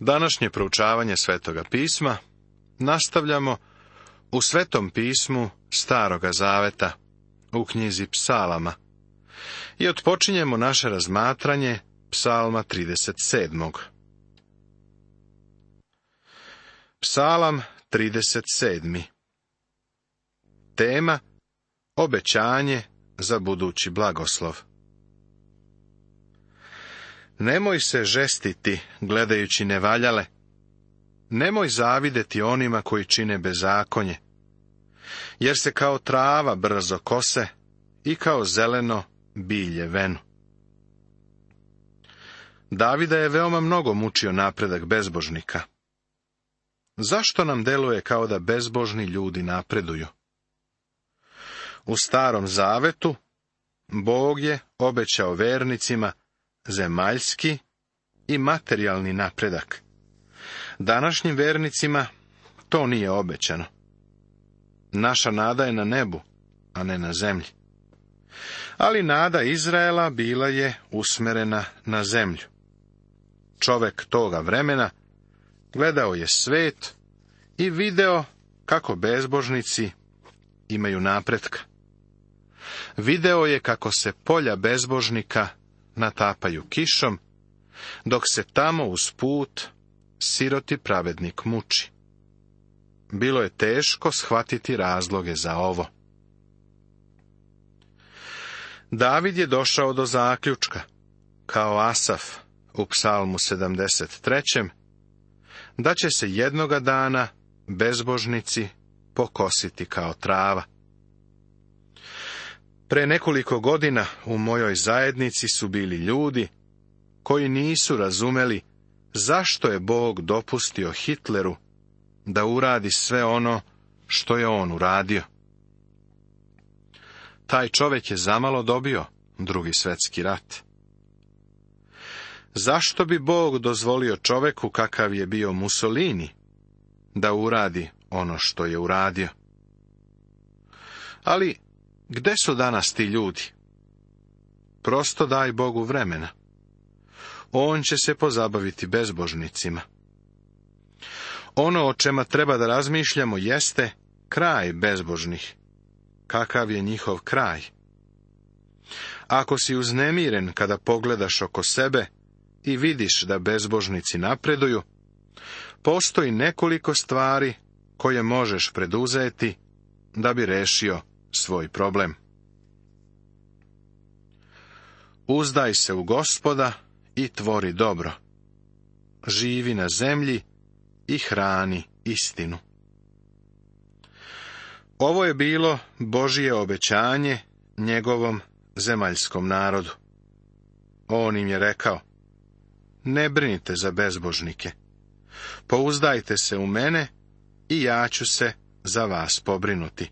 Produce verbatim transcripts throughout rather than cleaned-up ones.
Današnje proučavanje Svetoga pisma nastavljamo u Svetom pismu Staroga zaveta, u knjizi Psalama, i otpočinjemo naše razmatranje Psalma trideset sedmog. Psalam trideset sedmi. Tema: obećanje za budući blagoslov. Nemoj se žestiti gledajući nevaljale, nemoj zavideti onima koji čine bezakonje, jer se kao trava brzo kose i kao zeleno bilje venu. Davida je veoma mnogo mučio napredak bezbožnika. Zašto nam deluje kao da bezbožni ljudi napreduju? U Starom zavetu Bog je obećao vernicima zemaljski i materijalni napredak. Današnjim vernicima to nije obećano. Naša nada je na nebu, a ne na zemlji. Ali nada Izraela bila je usmerena na zemlju. Čovek toga vremena gledao je svet i video kako bezbožnici imaju napretka. Video je kako se polja bezbožnika natapaju kišom, dok se tamo uz put siroti pravednik muči. Bilo je teško shvatiti razloge za ovo. David je došao do zaključka, kao Asaf u Psalmu sedamdeset trećem, da će se jednoga dana bezbožnici pokositi kao trava. Pre nekoliko godina u mojoj zajednici su bili ljudi koji nisu razumeli zašto je Bog dopustio Hitleru da uradi sve ono što je on uradio. Taj čovjek je zamalo dobio Drugi svjetski rat. Zašto bi Bog dozvolio čovjeku kakav je bio Mussolini da uradi ono što je uradio? Ali gde su danas ti ljudi? Prosto daj Bogu vremena. On će se pozabaviti bezbožnicima. Ono o čemu treba da razmišljamo jeste kraj bezbožnih. Kakav je njihov kraj? Ako si uznemiren kada pogledaš oko sebe i vidiš da bezbožnici napreduju, postoji nekoliko stvari koje možeš preduzeti da bi rešio svoj problem. Uzdaj se u Gospoda i tvori dobro. Živi na zemlji i hrani istinu. Ovo je bilo Božje obećanje njegovom zemaljskom narodu. On im je rekao: ne brinite za bezbožnike. Pouzdajte se u mene i ja ću se za vas pobrinuti.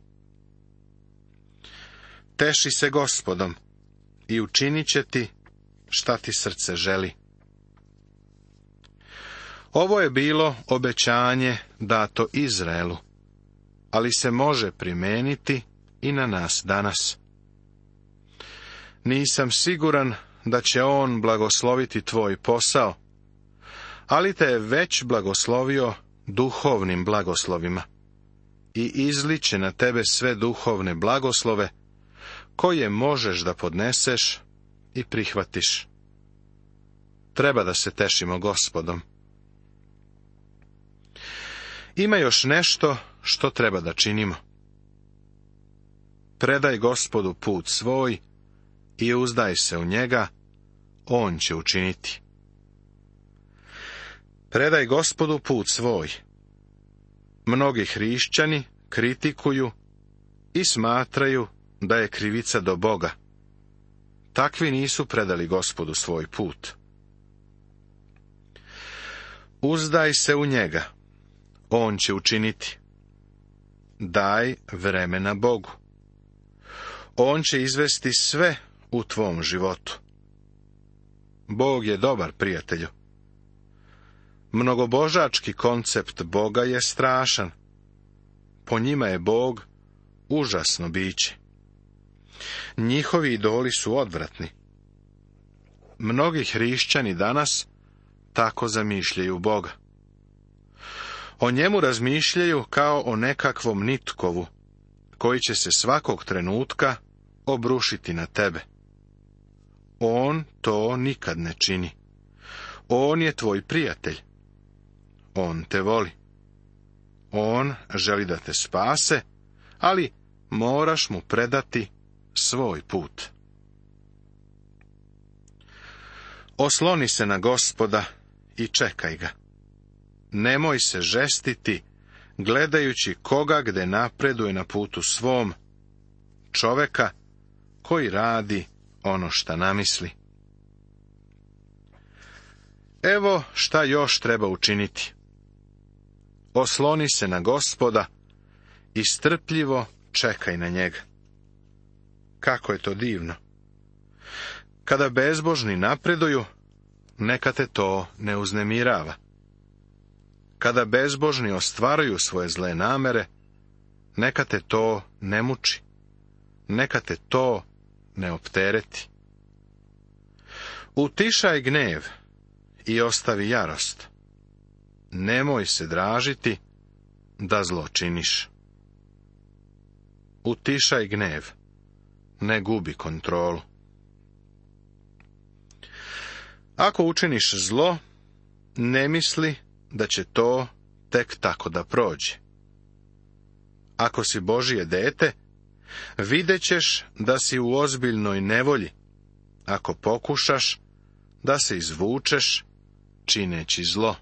Teši se Gospodom i učinit će ti šta ti srce želi. Ovo je bilo obećanje dato Izraelu, ali se može primeniti i na nas danas. Nisam siguran da će on blagosloviti tvoj posao, ali te je već blagoslovio duhovnim blagoslovima i izliče na tebe sve duhovne blagoslove koje možeš da podneseš i prihvatiš. Treba da se tešimo Gospodom. Ima još nešto što treba da činimo. Predaj Gospodu put svoj i uzdaj se u njega, on će učiniti. Predaj Gospodu put svoj. Mnogi hrišćani kritikuju i smatraju da je krivica do Boga. Takvi nisu predali Gospodu svoj put. Uzdaj se u njega, on će učiniti. Daj vremena Bogu. On će izvesti sve u tvom životu. Bog je dobar, prijatelju. Mnogobožački koncept Boga je strašan. Po njima je Bog užasno biće. Njihovi idoli su odvratni. Mnogi hrišćani danas tako zamišljaju Boga. O njemu razmišljaju kao o nekakvom nitkovu, koji će se svakog trenutka obrušiti na tebe. On to nikad ne čini. On je tvoj prijatelj. On te voli. On želi da te spase, ali moraš mu predati svoj put. Osloni se na Gospoda i čekaj ga. Nemoj se žestiti, gledajući koga gde napreduje na putu svom, čoveka koji radi ono šta namisli. Evo šta još treba učiniti. Osloni se na Gospoda i strpljivo čekaj na njega. Kako je to divno. Kada bezbožni napreduju, neka te to ne uznemirava. Kada bezbožni ostvaruju svoje zle namere, neka te to ne muči. Neka te to ne optereti. Utišaj gnjev i ostavi jarost. Nemoj se dražiti da zlo činiš. Utišaj gnjev, ne gubi kontrolu. Ako učiniš zlo, ne misli da će to tek tako da prođe. Ako si Božje dete, vidjet ćeš da si u ozbiljnoj nevolji, ako pokušaš da se izvučeš čineći zlo.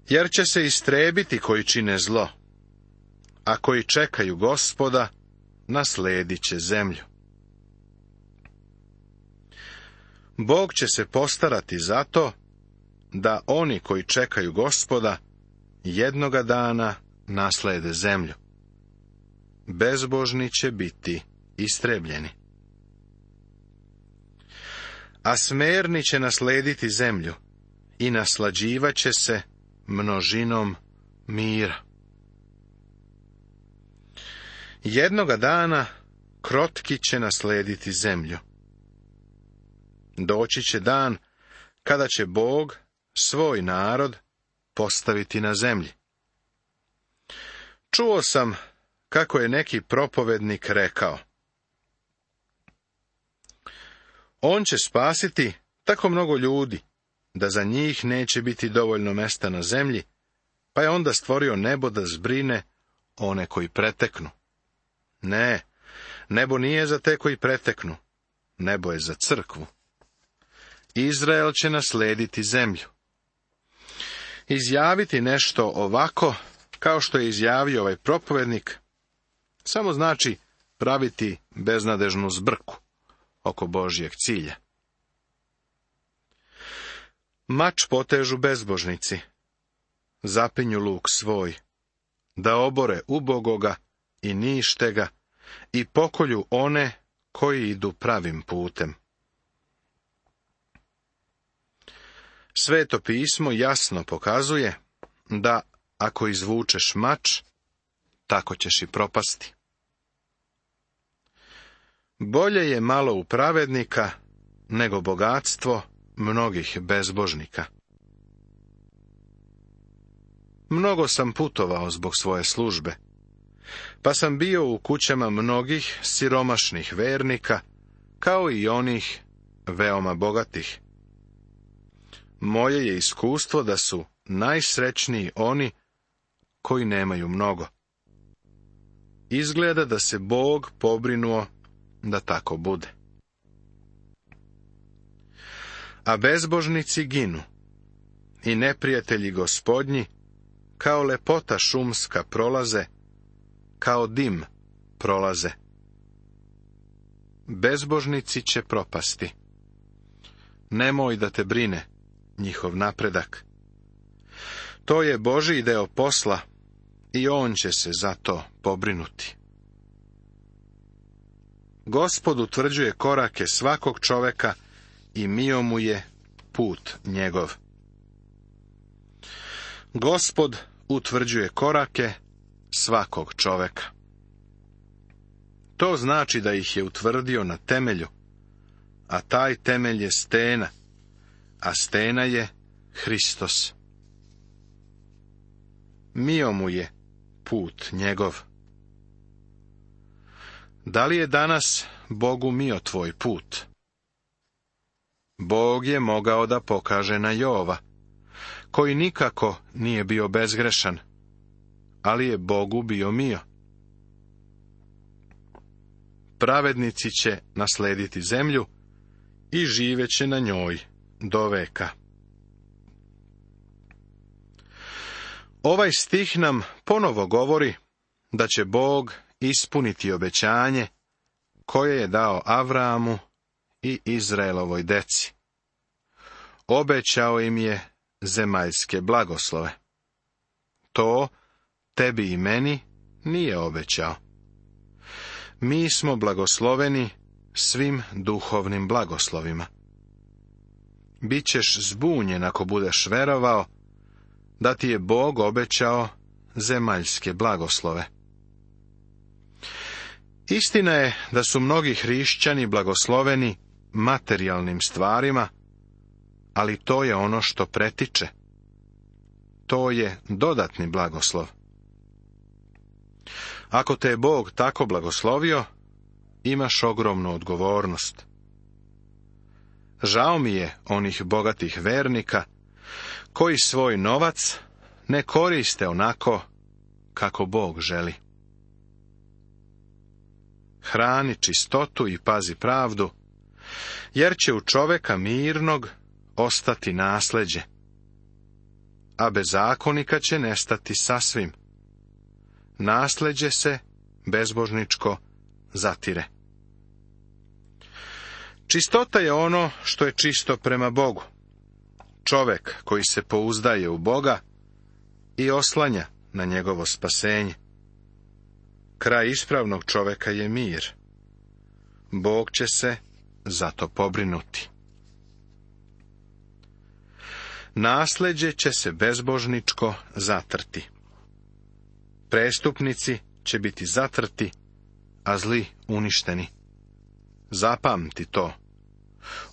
Jer će se istrebiti koji čine zlo, a koji čekaju Gospoda, nasledit će zemlju. Bog će se postarati za to, da oni koji čekaju Gospoda, jednoga dana naslede zemlju. Bezbožni će biti istrebljeni. A smerni će naslediti zemlju i naslađivaće se množinom mira. Jednoga dana krotki će naslediti zemlju. Doći će dan kada će Bog svoj narod postaviti na zemlji. Čuo sam kako je neki propovednik rekao: on će spasiti tako mnogo ljudi, da za njih neće biti dovoljno mesta na zemlji, pa je onda stvorio nebo da zbrine one koji preteknu. Ne, nebo nije za te koji preteknu, nebo je za crkvu. Izrael će naslediti zemlju. Izjaviti nešto ovako, kao što je izjavio ovaj propovednik, samo znači praviti beznadežnu zbrku oko Božjeg cilja. Mač potežu bezbožnici, zapinju luk svoj, da obore ubogoga i nište ga i pokolju one koji idu pravim putem. Sveto pismo jasno pokazuje da ako izvučeš mač, tako ćeš i propasti. Bolje je malo u pravednika nego bogatstvo mnogih bezbožnika. Mnogo sam putovao zbog svoje službe, pa sam bio u kućama mnogih siromašnih vernika, kao i onih veoma bogatih. Moje je iskustvo da su najsrećniji oni koji nemaju mnogo. Izgleda da se Bog pobrinuo da tako bude. A bezbožnici ginu i neprijatelji Gospodnji kao lepota šumska prolaze, kao dim prolaze. Bezbožnici će propasti. Nemoj da te brine njihov napredak. To je Božji deo posla i on će se za to pobrinuti. Gospod utvrđuje korake svakog čoveka i mio mu je put njegov. Gospod utvrđuje korake svakog čoveka. To znači da ih je utvrdio na temelju, a taj temelj je stena, a stena je Hristos. Mio mu je put njegov. Da li je danas Bogu mio tvoj put? Bog je mogao da pokaže na Jova, koji nikako nije bio bezgrešan, ali je Bogu bio mio. Pravednici će naslediti zemlju i živeće na njoj do veka. Ovaj stih nam ponovo govori da će Bog ispuniti obećanje koje je dao Avramu i Izraelovoj deci. Obećao im je zemaljske blagoslove. To tebi i meni nije obećao. Mi smo blagosloveni svim duhovnim blagoslovima. Bićeš zbunjen ako budeš verovao da ti je Bog obećao zemaljske blagoslove. Istina je da su mnogi hrišćani blagosloveni materijalnim stvarima, ali to je ono što pretiče. To je dodatni blagoslov. Ako te je Bog tako blagoslovio, imaš ogromnu odgovornost. Žao mi je onih bogatih vernika koji svoj novac ne koriste onako kako Bog želi. Hrani čistotu i pazi pravdu, jer će u čoveka mirnog ostati nasleđe, a bezakonika će nestati sasvim. Nasleđe se bezbožničko zatire. Čistota je ono što je čisto prema Bogu. Čovek koji se pouzdaje u Boga i oslanja na njegovo spasenje. Kraj ispravnog čoveka je mir. Bog će se za to pobrinuti. Nasleđe će se bezbožničko zatrti. Prestupnici će biti zatrti, a zli uništeni. Zapamti to.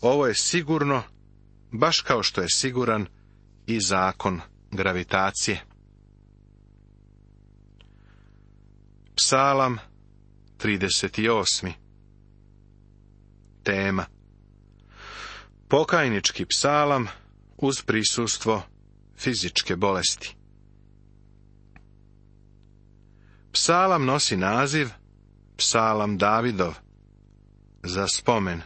Ovo je sigurno, baš kao što je siguran i zakon gravitacije. Psalam trideset osam. Tema: pokajnički psalam uz prisustvo fizičke bolesti. Psalam nosi naziv Psalam Davidov, za spomen.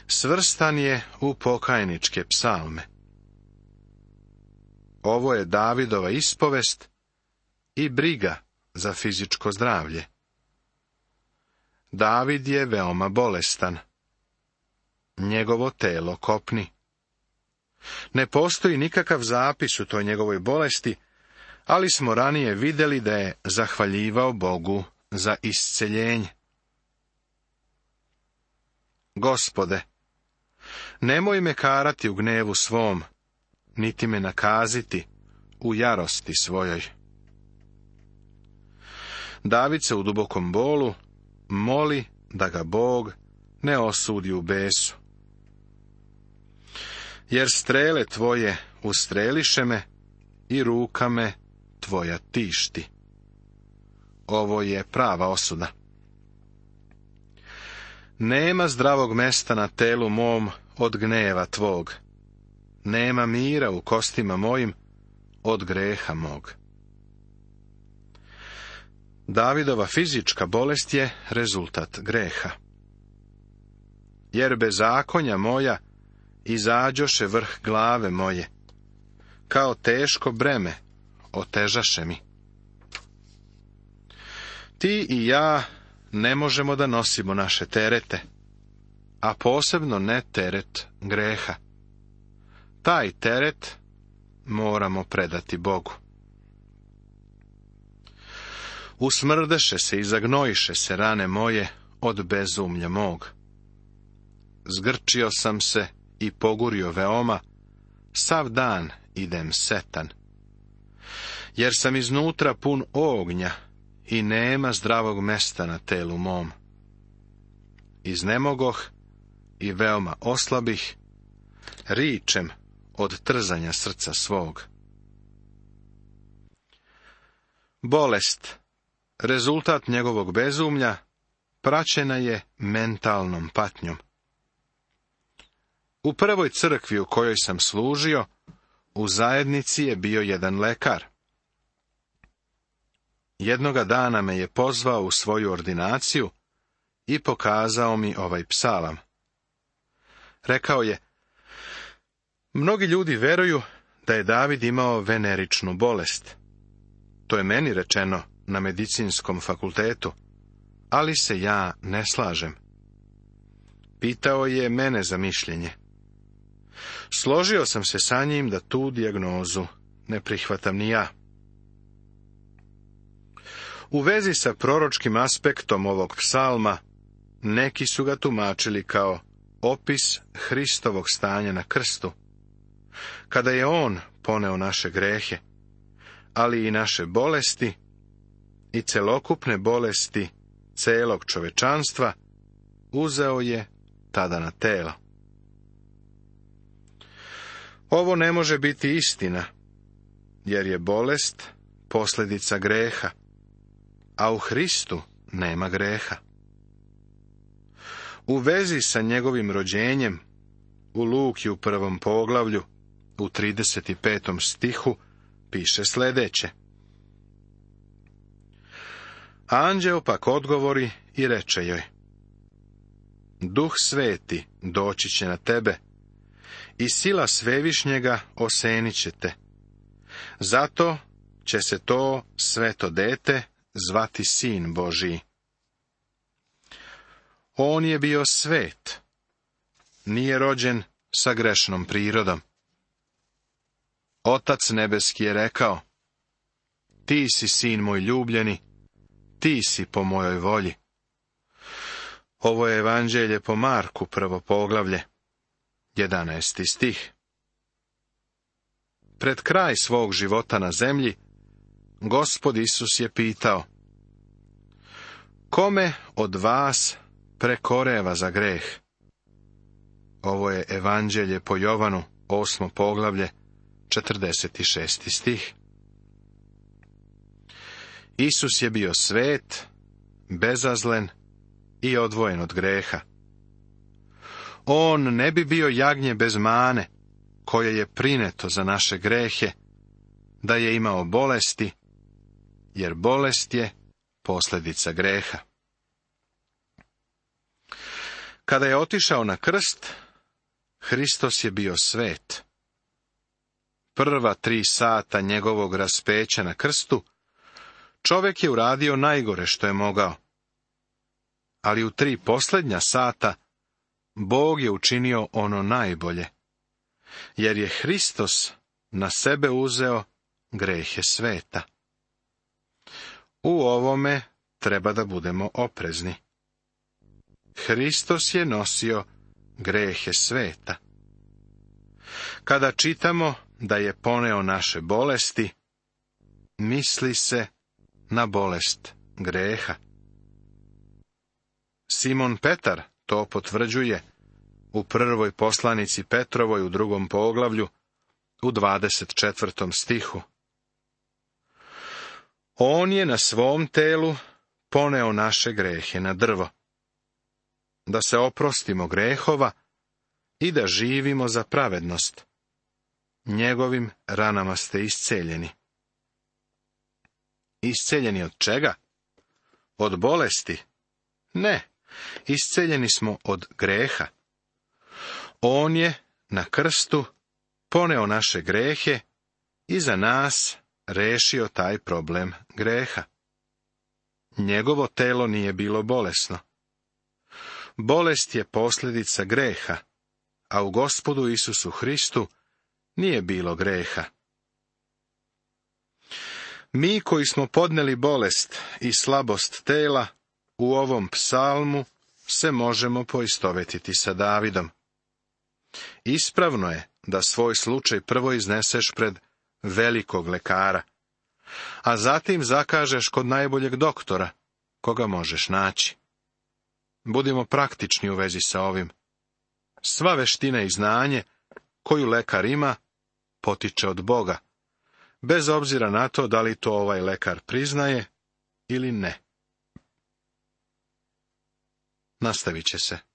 Svrstan je u pokajničke psalme. Ovo je Davidova ispovest i briga za fizičko zdravlje. David je veoma bolestan. Njegovo telo kopni. Ne postoji nikakav zapis u toj njegovoj bolesti, ali smo ranije vidjeli da je zahvaljivao Bogu za isceljenje. Gospode, nemoj me karati u gnevu svom, niti me nakaziti u jarosti svojoj. David se u dubokom bolu moli da ga Bog ne osudi u besu. Jer strele tvoje ustreliše me i ruka me tvoja tišti. Ovo je prava osuda. Nema zdravog mesta na telu mom od gneva tvog. Nema mira u kostima mojim od greha mog. Davidova fizička bolest je rezultat greha. Jer bezakonja moja izađoše vrh glave moje, kao teško breme otežaše mi. Ti i ja ne možemo da nosimo naše terete, a posebno ne teret greha. Taj teret moramo predati Bogu. Usmrdeše se i zagnojiše se rane moje od bezumlja mog. Zgrčio sam se i pogurio veoma, sav dan idem setan. Jer sam iznutra pun ognja i nema zdravog mesta na telu mom. Iznemogoh i veoma oslabih, ričem od trzanja srca svog. Bolest, rezultat njegovog bezumlja, praćena je mentalnom patnjom. U prvoj crkvi u kojoj sam služio, u zajednici je bio jedan lekar. Jednoga dana me je pozvao u svoju ordinaciju i pokazao mi ovaj psalam. Rekao je: mnogi ljudi veruju da je David imao veneričnu bolest. To je meni rečeno na medicinskom fakultetu, ali se ja ne slažem. Pitao je mene za mišljenje. Složio sam se sa njim da tu dijagnozu ne prihvatam ni ja. U vezi sa proročkim aspektom ovog psalma, neki su ga tumačili kao opis Hristovog stanja na krstu, kada je on poneo naše grehe, ali i naše bolesti i celokupne bolesti celog čovečanstva uzeo je tada na telo. Ovo ne može biti istina, jer je bolest posljedica greha, a u Hristu nema greha. U vezi sa njegovim rođenjem, u Luki u prvom poglavlju, u trideset petom stihu, piše sljedeće. Anđeo pak odgovori i reče joj: Duh Sveti doći će na tebe i sila Svevišnjega osenit će te. Zato će se to sveto dete zvati Sin Božiji. On je bio svet, nije rođen sa grešnom prirodom. Otac nebeski je rekao: Ti si sin moj ljubljeni, ti si po mojoj volji. Ovo je evanđelje po Marku, prvo poglavlje, jedanaesti stih. Pred kraj svog života na zemlji, Gospod Isus je pitao: Kome od vas prekoreva za greh? Ovo je evanđelje po Jovanu, osmo poglavlje, četrdeset šesti stih. Isus je bio svet, bezazlen i odvojen od greha. On ne bi bio jagnje bez mane, koje je prineto za naše grehe, da je imao bolesti, jer bolest je posljedica greha. Kada je otišao na krst, Hristos je bio svet. Prva tri sata njegovog raspeća na krstu, čovjek je uradio najgore što je mogao. Ali u tri posljednja sata, Bog je učinio ono najbolje, jer je Hristos na sebe uzeo grehe sveta. U ovome treba da budemo oprezni. Hristos je nosio grehe sveta. Kada čitamo da je poneo naše bolesti, misli se na bolest greha. Simon Petar to potvrđuje u prvoj poslanici Petrovoj u drugom poglavlju, u dvadeset četvrtom stihu. On je na svom telu poneo naše grehe na drvo, da se oprostimo grehova i da živimo za pravednost. Njegovim ranama ste isceljeni. Isceljeni od čega? Od bolesti? Ne, isceljeni smo od greha. On je na krstu poneo naše grehe i za nas rešio taj problem greha. Njegovo telo nije bilo bolesno. Bolest je posljedica greha, a u Gospodu Isusu Hristu nije bilo greha. Mi koji smo podneli bolest i slabost tela, u ovom psalmu se možemo poistovetiti sa Davidom. Ispravno je da svoj slučaj prvo izneseš pred velikog lekara, a zatim zakažeš kod najboljeg doktora, koga možeš naći. Budimo praktični u vezi sa ovim. Sva veština i znanje koju lekar ima, potiče od Boga, bez obzira na to da li to ovaj lekar priznaje ili ne. Nastavit će se.